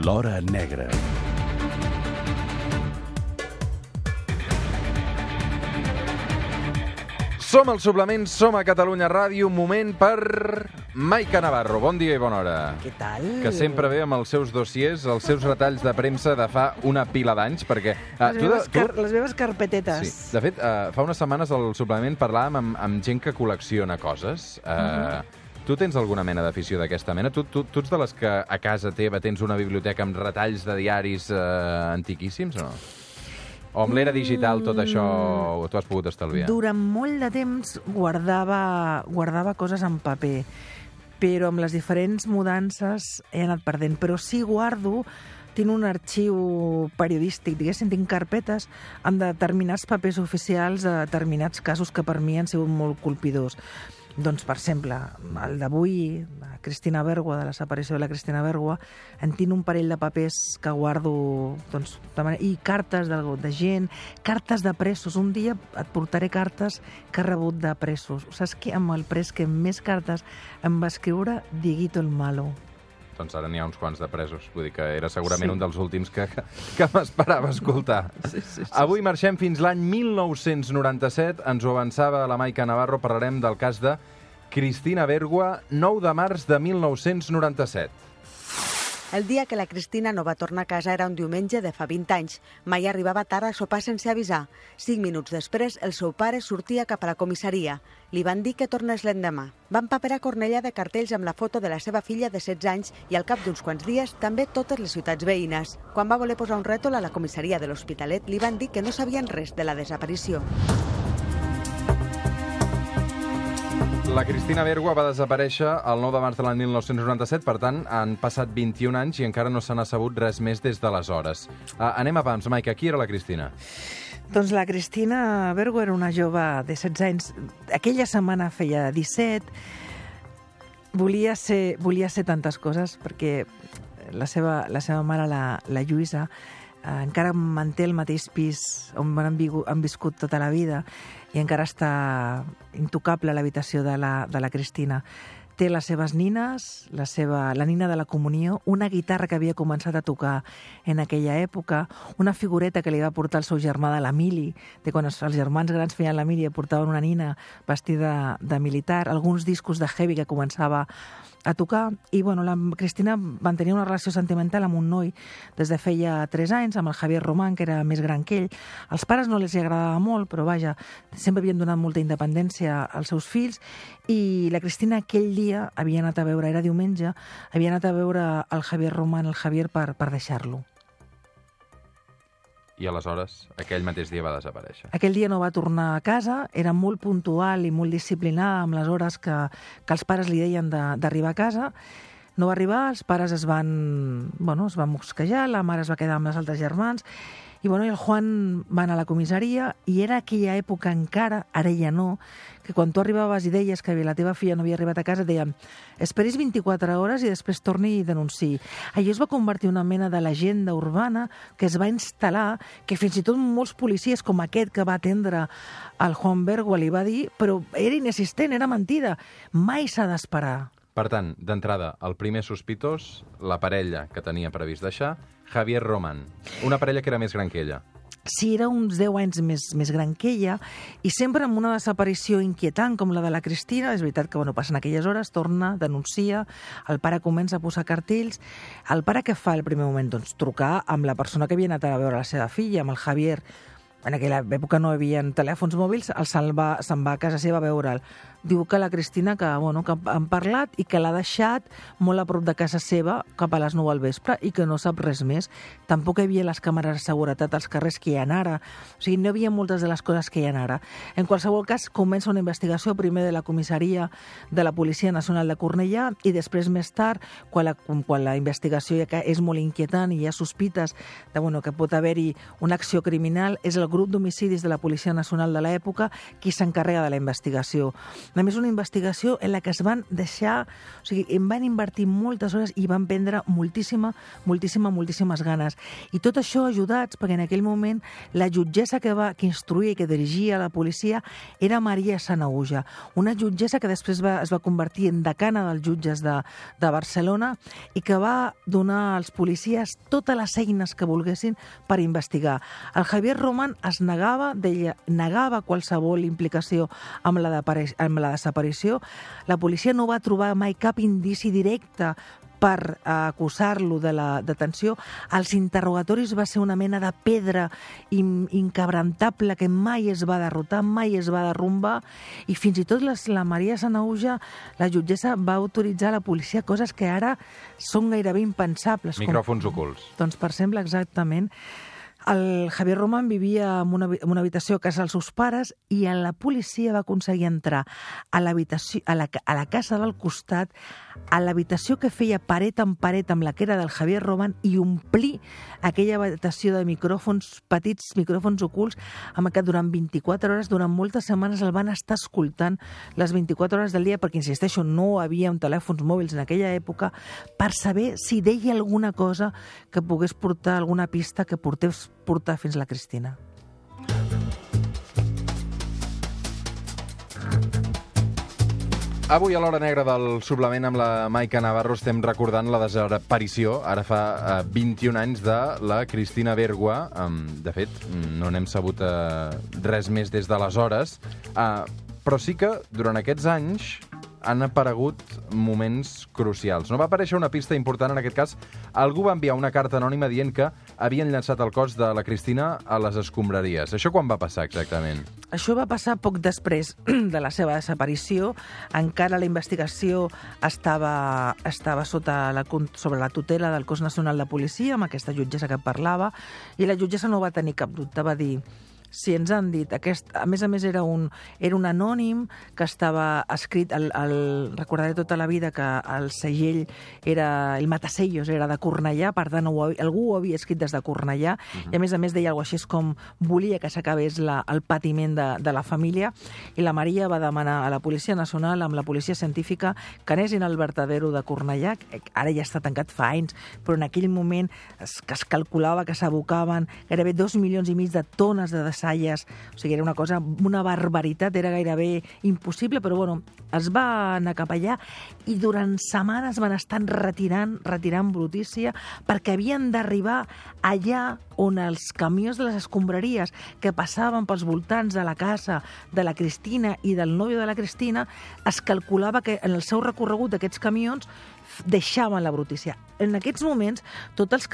L'Hora Negra. Som al Suplement, som a Catalunya Ràdio, un moment per Maica Navarro. Bon dia i bona hora. Què tal? Que sempre ve amb els seus dossiers, els seus retalls de premsa de fa una pila d'anys, perquè... Les meves carpetetes. Sí. De fet, fa unes setmanes al Suplement parlàvem amb gent que col·lecciona coses. Tu tens alguna mena d'afició d'aquesta mena? Tu ets de les que a casa teva tens una biblioteca amb retalls de diaris antiquíssims o no? O amb l'era digital tot això t'ho has pogut estalviar? Durant molt de temps guardava coses en paper, però amb les diferents mudances he anat perdent. Però sí tinc un arxiu periodístic, diguéssim, tinc carpetes amb determinats papers oficials de determinats casos que per mi han sigut molt colpidors. Doncs, per exemple, el d'avui, la Cristina Bergua, de la desaparició de la Cristina Bergua, en tinc un parell de papers que guardo, doncs, i cartes de gent, cartes de presos. Un dia et portaré cartes que he rebut de presos. Saps què? Amb el pres que més cartes em va escriure Dieguito el Malo. Doncs ara n'hi ha uns quants de presos. Vull dir que era segurament un dels últims que m'esperava escoltar. Sí. Avui marxem fins l'any 1997. Ens ho avançava la Maica Navarro. Parlarem del cas de Cristina Bergua, 9 de març de 1997. El dia que la Cristina no va tornar a casa era un diumenge de fa 20 anys. Mai arribava tard a sopar sense avisar. 5 minuts després, el seu pare sortia cap a la comissaria. Li van dir que tornés l'endemà. Van paperar Cornellà de cartells amb la foto de la seva filla de 16 anys i al cap d'uns quants dies també totes les ciutats veïnes. Quan va voler posar un rètol a la comissaria de l'Hospitalet, li van dir que no sabien res de la desaparició. La Cristina Bergua va desaparèixer el 9 de març de l'any 1997, per tant, han passat 21 anys i encara no se n'ha sabut res més des d'aleshores. Anem a pams, Maica, qui era la Cristina? Doncs la Cristina Bergua era una jove de 16 anys. Aquella setmana feia 17. Volia ser tantes coses, perquè la seva mare, la Lluïsa, encara manté el mateix pis on han viscut tota la vida i encara està intocable a l'habitació de la Cristina. Té les seves nines, la nina de la comunió, una guitarra que havia començat a tocar en aquella època, una figureta que li va portar el seu germà de la mili, de quan els germans grans feien la mili i portaven una nina vestida de militar, alguns discos de heavy que començava a tocar, i la Cristina mantenia una relació sentimental amb un noi des de feia 3 anys, amb el Javier Román, que era més gran que ell. Als pares no els agradava molt, però vaja, sempre havien donat molta independència als seus fills, i la Cristina aquell dia havia anat a veure, era diumenge, havia anat a veure el Javier Román, el Javier, per deixar-lo. I aleshores, aquell mateix dia va desaparèixer. Aquell dia no va tornar a casa, era molt puntual i molt disciplinada amb les hores que els pares li deien d'arribar a casa. No va arribar, els pares es van mosquejar, la mare es va quedar amb els altres germans, i el Juan va anar a la comissaria, i era aquella època encara, ara ja no, que quan tu arribaves i deies que la teva filla no havia arribat a casa, et deien esperis 24 hores i després torni i denunciï. Allò es va convertir en una mena de llegenda urbana que es va instal·lar, que fins i tot molts policies, com aquest que va atendre el Juan Bergua, li va dir, però era inexistent, era mentida, mai s'ha d'esperar. Per tant, d'entrada, el primer sospitós, la parella que tenia previst deixar, Javier Román, una parella que era més gran que ella. Sí, era uns 10 anys més gran que ella, i sempre amb una desaparició inquietant com la de la Cristina. És veritat que passen aquelles hores, torna, denuncia, el pare comença a posar cartells. El pare què fa al primer moment? Doncs trucar amb la persona que havia anat a veure la seva filla, amb el Javier. En aquella època no hi havia telèfons mòbils, se'n va a casa seva a veure'l. Diu que la Cristina que han parlat i que l'ha deixat molt a prop de casa seva cap a les 9 al vespre i que no sap res més. Tampoc hi havia les càmeres de seguretat als carrers que hi ha ara. O sigui, no hi havia moltes de les coses que hi ha ara. En qualsevol cas, comença una investigació primer de la comissaria de la Policia Nacional de Cornellà i després, més tard, quan la investigació ja és molt inquietant i hi ha sospites que pot haver-hi una acció criminal, és el grup d'homicidis de la Policia Nacional de l'època qui s'encarrega de la investigació. A més, una investigació en la que es van deixar... O sigui, em van invertir moltes hores i van prendre moltíssimes ganes. I tot això ajudats perquè en aquell moment la jutgessa que instruïa i que dirigia la policia era Maria Sanahuja, una jutgessa que després es va convertir en decana dels jutges de Barcelona i que va donar als policies totes les eines que volguessin per investigar. El Javier Roman es negava qualsevol implicació amb la desaparició. La policia no va trobar mai cap indici directe per acusar-lo de la detenció. Els interrogatoris va ser una mena de pedra inquebrantable que mai es va derrotar, mai es va derrumbar, i fins i tot la Maria Sanahuja, la jutgessa, va autoritzar a la policia coses que ara són gairebé impensables. Micròfons ocults. Doncs, per exemple, exactament, el Javier Roman vivia en una habitació a casa dels seus pares i la policia va aconseguir entrar a la casa del costat, a l'habitació que feia paret amb la que era del Javier Roman, i omplir aquella habitació de petits micròfons ocults, amb què durant 24 hores, durant moltes setmanes, el van estar escoltant les 24 hores del dia, perquè, insisteixo, no havia telèfons mòbils en aquella època, per saber si deia alguna cosa que pogués portar alguna pista que portar fins a la Cristina. Avui, a l'Hora Negra del Suplement, amb la Maica Navarro, estem recordant la desaparició, ara fa 21 anys, de la Cristina Bergua. De fet, no n'hem sabut res més des d'aleshores, però sí que durant aquests anys han aparegut moments crucials. No va aparèixer una pista important en aquest cas. Algú va enviar una carta anònima dient que havien llançat el cos de la Cristina a les escombraries. Això quan va passar exactament? Això va passar poc després de la seva desaparició. Encara la investigació estava sobre la tutela del Cos Nacional de Policia, amb aquesta jutgessa que parlava, i la jutgessa no va tenir cap dubte, va dir: si ens han dit, a més era un anònim que estava escrit, recordaré tota la vida que el segell era, el matasellos era de Cornellà, per tant algú ho havia escrit des de Cornellà, i a més deia alguna cosa així com volia que s'acabés el patiment de la família, i la Maria va demanar a la Policia Nacional, amb la Policia Científica, que anessin al vertedero de Cornellà, ara ja està tancat fa anys, però en aquell moment es calculava que s'abocaven gairebé 2,5 milions de tones de desalls. O sigui, era una barbaritat, era gairebé impossible, però bueno, es va anar cap allà i durant setmanes van estar retirant brutícia, perquè havien d'arribar allà on els camions de les escombraries que passaven pels voltants de la casa de la Cristina i del nòvio de la Cristina, es calculava que en el seu recorregut d'aquests camions deixaven la brutícia. En aquests moments,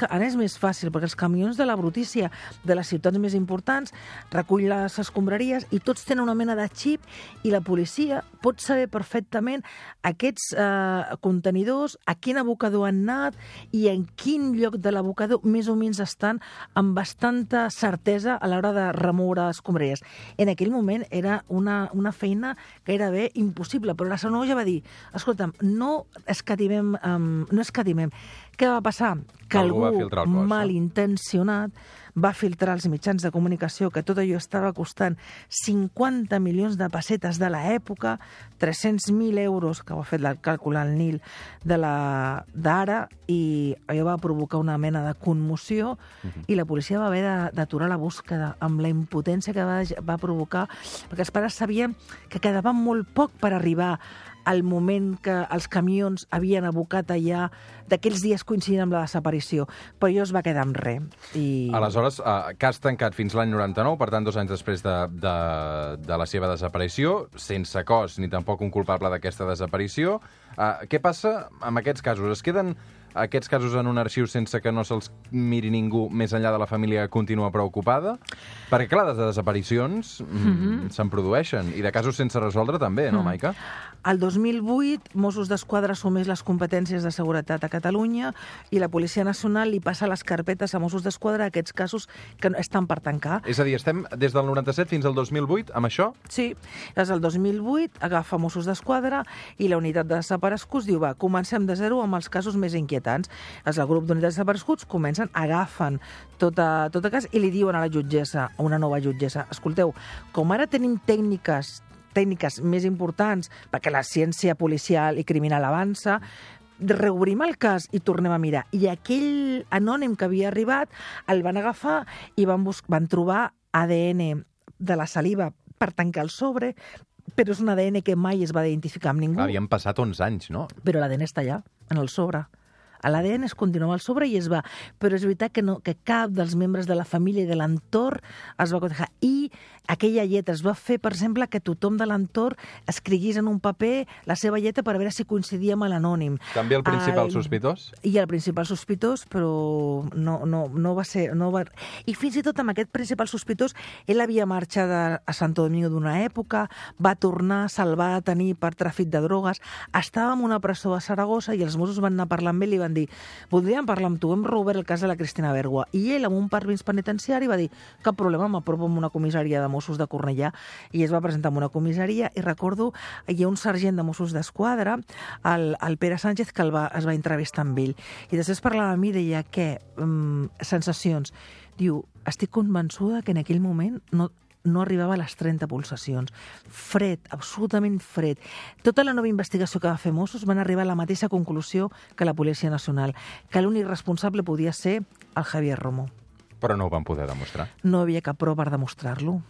ara és més fàcil, perquè els camions de la brutícia de les ciutats més importants recull les escombraries i tots tenen una mena de xip, i la policia pot saber perfectament aquests contenidors, a quin abocador han anat i en quin lloc de l'abocador més o menys estan, amb bastanta certesa a l'hora de remoure escombraries. En aquell moment era una feina gairebé impossible, però la Sanahuja va dir: escolta'm, no escatimem. Què va passar? Que algú malintencionat va filtrar als mitjans de comunicació que tot allò estava costant 50 milions de pessetes de l'època, 300.000 euros, que ho ha fet el càlcul al Nil d'ara, i allò va provocar una mena de commoció, i la policia va haver d'aturar la búsqueda amb la impotència que va provocar, perquè els pares sabien que quedava molt poc per arribar al moment que els camions havien abocat allà, d'aquells dies coincidint amb la desaparició, però allò es va quedar amb res. Aleshores, cas tancat fins l'any 99, per tant 2 anys després de la seva desaparició, sense cos ni tampoc un culpable d'aquesta desaparició. Què passa amb aquests casos? Es queden aquests casos en un arxiu sense que no se'ls miri ningú més enllà de la família que continua preocupada? Perquè, clar, de desaparicions se'n produeixen, i de casos sense resoldre també, no, Maica? El 2008, Mossos d'Esquadra assumeix les competències de seguretat a Catalunya i la Policia Nacional li passa les carpetes a Mossos d'Esquadra a aquests casos que estan per tancar. És a dir, estem des del 97 fins al 2008 amb això? Sí, des del 2008 agafa Mossos d'Esquadra i la unitat de desapareguts diu: va, comencem de zero amb els casos més inquietants. El grup d'unitats de desapareguts agafen tot cas i li diuen a la jutgessa, a una nova jutgessa: escolteu, com ara tenim tècniques tècniques més importants, perquè la ciència policial i criminal avança, reobrim el cas i tornem a mirar. I aquell anònim que havia arribat el van agafar i van trobar ADN de la saliva per tancar el sobre, però és un ADN que mai es va identificar amb ningú. Havien passat 11 anys, no? Però l'ADN està allà, en el sobre. L'ADN es continua al sobre i es va. Però és veritat que cap dels membres de la família i de l'entorn es va cotejar. I aquella lletra es va fer, per exemple, que tothom de l'entorn escriguís en un paper la seva lletra per veure si coincidia amb l'anònim. També el principal sospitós? I el principal sospitós, però no va ser... I fins i tot amb aquest principal sospitós, ell havia marxat a Santo Domingo d'una època, va tornar, se'l va detenir per tràfic de drogues, estava en una presó a Saragossa i els Mossos van anar a parlar amb ell i van dir: voldríem parlar amb tu, hem reobert el cas de la Cristina Bergua. I ell, amb un permís penitenciari, va dir: cap problema, m'apropo amb una comissaria de Mossos de Cornellà. I es va presentar en una comissaria i recordo, hi ha un sergent de Mossos d'Esquadra, el Pere Sánchez, que es va entrevistar amb ell. I després parlava amb mi i deia: què? Sensacions. Diu: estic convençuda que en aquell moment no arribava a les 30 pulsacions. Fred, absolutament fred. Tota la nova investigació que va fer Mossos van arribar a la mateixa conclusió que la Policia Nacional, que l'únic responsable podia ser el Javier Romo. Però no ho van poder demostrar. No havia cap prova per demostrar-lo.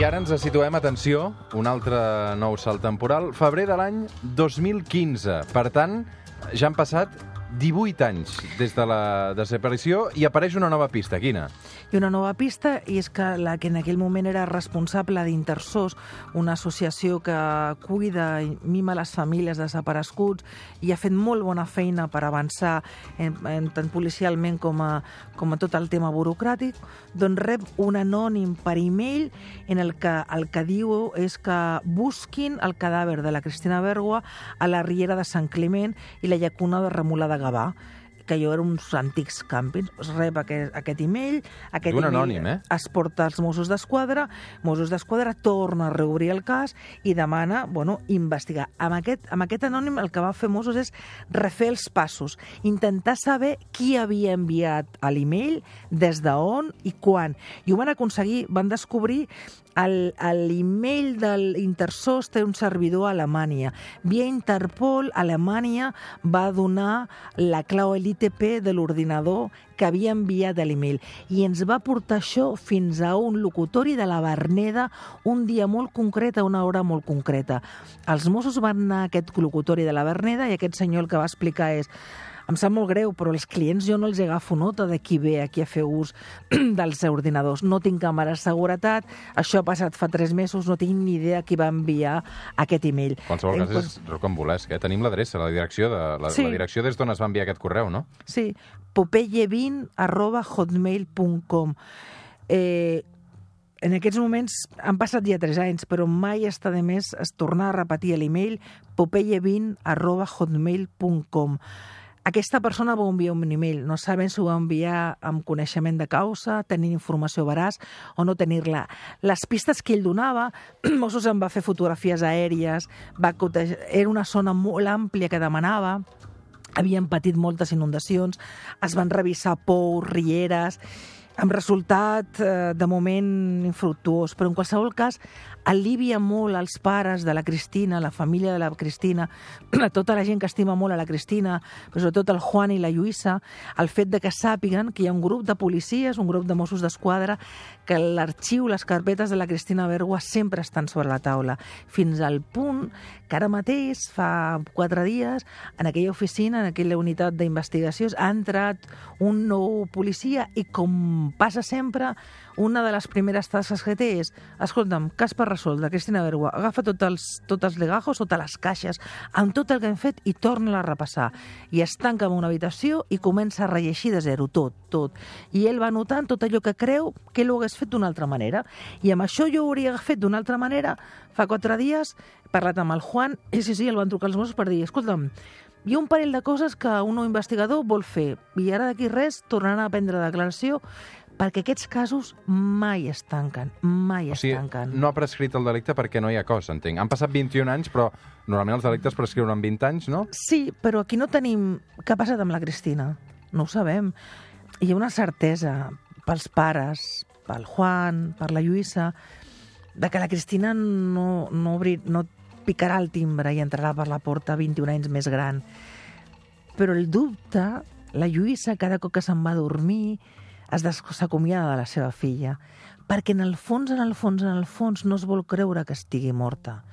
I ara ens situem, atenció, un altre nou salt temporal, febrer de l'any 2015. Per tant, ja han passat 18 anys des de la desaparició i apareix una nova pista. Quina? I una nova pista, i és que la que en aquell moment era responsable d'Intersos, una associació que cuida i mima les famílies desapareguts i ha fet molt bona feina per avançar tant policialment com a tot el tema burocràtic, doncs rep un anònim per e-mail en el que diu és que busquin el cadàver de la Cristina Bergua a la riera de Sant Climent i la llacuna de Remolà de Gavà, que allò eren uns antics càmpings. Es rep aquest e-mail, anònim, es porta als Mossos d'Esquadra, Mossos d'Esquadra torna a reobrir el cas i demana, investigar. Amb aquest anònim el que va fer Mossos és refer els passos, intentar saber qui havia enviat l'e-mail, des d'on i quan. I ho van aconseguir, van descobrir l'e-mail de l'Intersos té un servidor a Alemanya. Via Interpol, Alemanya va donar la clau l'ITP de l'ordinador que havia enviat l'e-mail. I ens va portar això fins a un locutori de la Verneda un dia molt concret, a una hora molt concreta. Els Mossos van anar a aquest locutori de la Verneda i aquest senyor el que va explicar és: em sap molt greu, però els clients jo no els agafo nota de qui ve aquí a fer ús dels ordinadors. No tinc càmeres de seguretat, això ha passat fa 3 mesos, no tinc ni idea qui va enviar aquest e-mail. Qualsevol cas és rocambolesc, eh? Tenim l'adreça, la direcció des d'on es va enviar aquest correu, no? Sí, popeye20@hotmail.com. En aquests moments han passat ja 3 anys, però mai està de més tornar a repetir l'e-mail popeye20@hotmail.com. Aquesta persona va enviar un e-mail, no saben si ho va enviar amb coneixement de causa, tenint informació veraç o no tenir-la. Les pistes que ell donava, Mossos en va fer fotografies aèries, era una zona molt àmplia que demanava, havien patit moltes inundacions, es van revisar pous, rieres, amb resultat de moment infructuós, però en qualsevol cas alivia molt als pares de la Cristina, la família de la Cristina, a tota la gent que estima molt a la Cristina, però sobretot el Juan i la Lluïssa, el fet de que sàpiguen que hi ha un grup de policies, un grup de Mossos d'Esquadra, que l'arxiu, les carpetes de la Cristina Bergua sempre estan sobre la taula, fins al punt que ara mateix, fa 4 dies, en aquella oficina, en aquella unitat d'investigacions, ha entrat un nou policia i, com passa sempre, una de les primeres tasques que té és: escolta'm, cas per resoldre, Cristina Bergua, agafa tots els legajos, totes les caixes, amb tot el que hem fet i torna a repassar. I es tanca en una habitació i comença a rellegir de zero, tot. I ell va anotant tot allò que creu que ell ho hagués fet d'una altra manera. I amb això jo ho hauria fet d'una altra manera. Fa 4 dies he parlat amb el Juan i sí, el van trucar els Mossos per dir: escolta'm, hi ha un parell de coses que un nou investigador vol fer i ara d'aquí res tornaran a prendre declaració, perquè aquests casos mai es tanquen, es tanquen. No ha prescrit el delicte perquè no hi ha cos, entenc. Han passat 21 anys, però normalment els delictes prescriuen en 20 anys, no? Sí, però aquí no tenim... Què ha passat amb la Cristina? No ho sabem. Hi ha una certesa pels pares, pel Juan, per la Lluïssa, de que la Cristina no picarà el timbre i entrarà per la porta 21 anys més gran. Però el dubte, la Lluïssa, cada cop que se'n va a dormir, s'acomiada de la seva filla, perquè en el fons no es vol creure que estigui morta.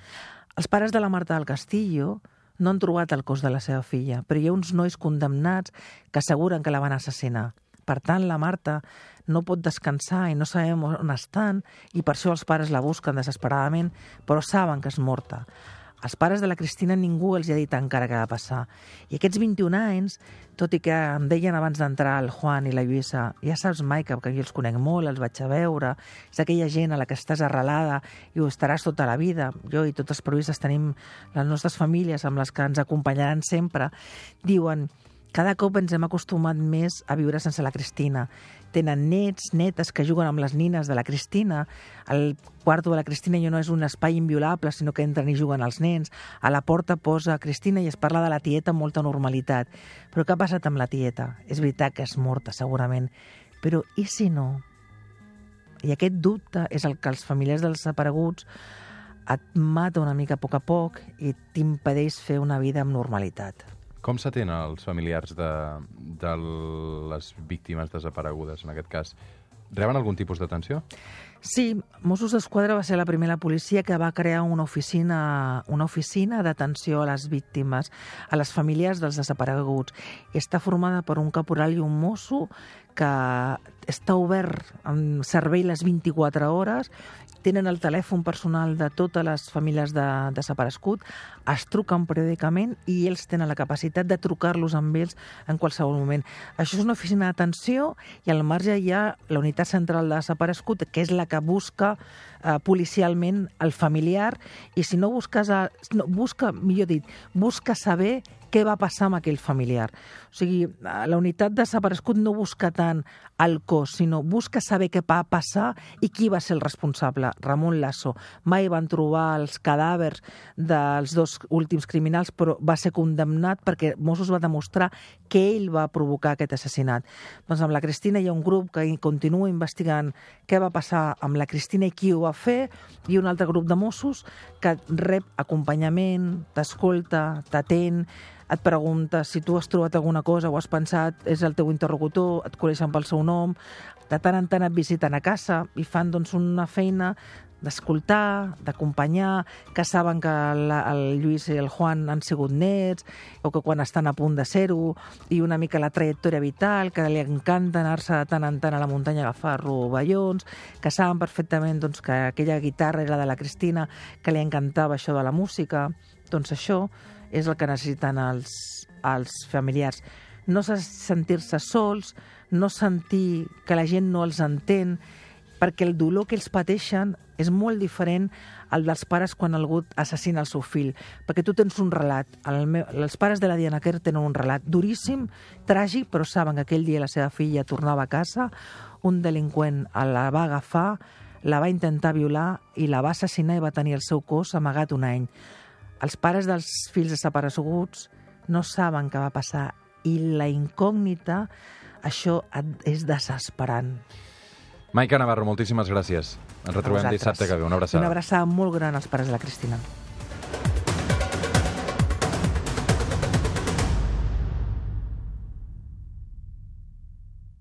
Els pares de la Marta del Castillo no han trobat el cos de la seva filla, però hi ha uns nois condemnats que asseguren que la van assassinar. Per tant, la Marta no pot descansar i no sabem on estan, i per això els pares la busquen desesperadament, però saben que és morta. Els pares de la Cristina ningú els ha dit encara què va passar. I aquests 21 anys, tot i que em deien abans d'entrar el Juan i la Lluïssa, ja saps, Maica, que jo els conec molt, els vaig a veure, és aquella gent a la que estàs arrelada i ho estaràs tota la vida. Jo i tots els periodistes tenim les nostres famílies amb les que ens acompanyaran sempre. Diuen, cada cop ens hem acostumat més a viure sense la Cristina. Tenen nets, netes que juguen amb les nines de la Cristina. El quarto de la Cristina ja no és un espai inviolable, sinó que entren i juguen els nens. A la porta posa Cristina i es parla de la tieta amb molta normalitat. Però què ha passat amb la tieta? És veritat que és morta, segurament. Però i si no? I aquest dubte és el que els familiars dels desapareguts et mata una mica a poc i t'impedeix fer una vida amb normalitat. Com s'atenen els familiars de les víctimes desaparegudes, en aquest cas? Reben algun tipus d'atenció? Sí, Mossos d'Esquadra va ser la primera policia que va crear una oficina d'atenció a les víctimes, a les famílies dels desapareguts. I està formada per un caporal i un mosso que està obert en servei les 24 hores, tenen el telèfon personal de totes les famílies de desaparegut, es truquen periòdicament i ells tenen la capacitat de trucar-los amb ells en qualsevol moment. Això és una oficina d'atenció i al marge hi ha la unitat central de desaparegut, que és la que busca policialment el familiar, i si no busca saber què va passar amb aquell familiar. O sigui, la unitat de desaparegut no busca tant el cos, sinó busca saber què va passar i qui va ser el responsable. Ramon Lasso. Mai van trobar els cadàvers dels dos últims criminals, però va ser condemnat perquè Mossos va demostrar que ell va provocar aquest assassinat. Doncs amb la Cristina hi ha un grup que continua investigant què va passar amb la Cristina i qui ho va fer, i un altre grup de Mossos que rep acompanyament, t'escolta, t'atén, et pregunta si tu has trobat alguna cosa o has pensat, és el teu interlocutor, et coneixen pel seu nom, de tant en tant et visiten a casa i fan doncs, una feina d'escoltar, d'acompanyar, que saben que el Lluís i el Juan han sigut nets, o que quan estan a punt de ser-ho, i una mica la trajectòria vital, que li encanta anar-se de tant en tant a la muntanya a agafar rovellons, que saben perfectament doncs, que aquella guitarra era de la Cristina, que li encantava això de la música. Doncs això és el que necessiten els familiars. No sentir-se sols, no sentir que la gent no els entén, perquè el dolor que ells pateixen és molt diferent al dels pares quan algú assassina el seu fill, perquè tu tens un relat. Els pares de la Diana Quer tenen un relat duríssim, tràgic, però saben que aquell dia la seva filla tornava a casa, un delinqüent la va agafar, la va intentar violar i la va assassinar i va tenir el seu cos amagat un any. Els pares dels fills desapareguts no saben què va passar i la incògnita, això és desesperant. Maica Navarro, moltíssimes gràcies. Ens retrobem dissabte que ve. Una abraçada. Una abraçada molt gran als pares de la Cristina.